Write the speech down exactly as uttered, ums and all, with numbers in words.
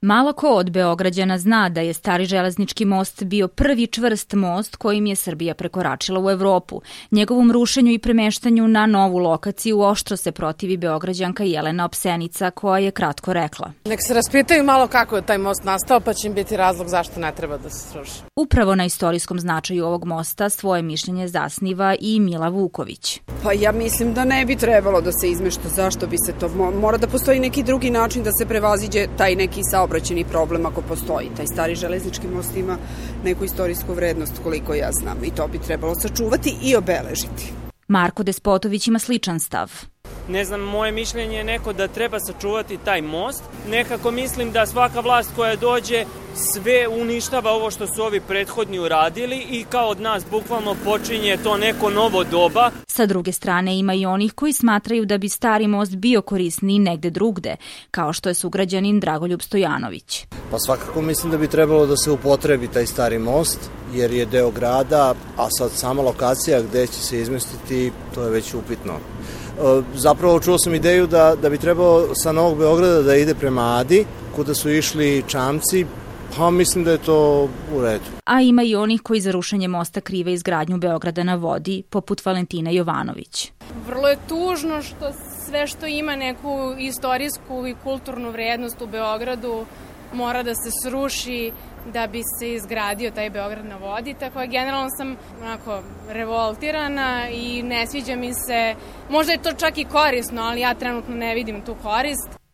Malo ko od Beograđana zna da je stari železnički most bio prvi čvrst most kojim je Srbija prekoračila u Evropu. Njegovom rušenju i premeštanju na novu lokaciju oštro se protivi Beograđanka Jelena Opsenica, koja je kratko rekla: Nek se raspitaju malo kako je taj most nastao, pa će im biti razlog zašto ne treba da se sruši. Upravo na istorijskom značaju ovog mosta svoje mišljenje zasniva i Mila Vuković. Pa ja mislim da ne bi trebalo da se izmešta. Zašto bi se to? Mora da postoji neki drugi način da se prevaziđe taj neki saobraćajni problem ako postoji. Taj stari železnički most ima neku istorijsku vrednost, koliko ja znam, i to bi trebalo sačuvati i obeležiti. Marko Despotović ima sličan stav. Ne znam, moje mišljenje je neko da treba sačuvati taj most. Nekako mislim da svaka vlast koja dođe sve uništava ovo što su ovi prethodni uradili i kao od nas bukvalno počinje to neko novo doba. Sa druge strane ima i onih koji smatraju da bi stari most bio korisniji negde drugde, kao što je sugrađanin Dragoljub Stojanović. Pa svakako mislim da bi trebalo da se upotrebi taj stari most, jer je deo grada, a sad sama lokacija gde će se izmestiti, to je već upitno. Zapravo čuo sam ideju da, da bi trebalo sa Novog Beograda da ide prema Adi, kuda su išli čamci, pa mislim da je to u redu. A ima i onih koji za rušenje mosta krive izgradnju Beograda na vodi, poput Valentina Jovanović. Vrlo je tužno što sve što ima neku istorijsku i kulturnu vrednost u Beogradu mora da se sruši da bi se izgradio taj Beograd na vodi, tako je generalno sam onako revoltirana i ne sviđa mi se, možda je to čak i korisno, ali ja trenutno ne vidim tu korist.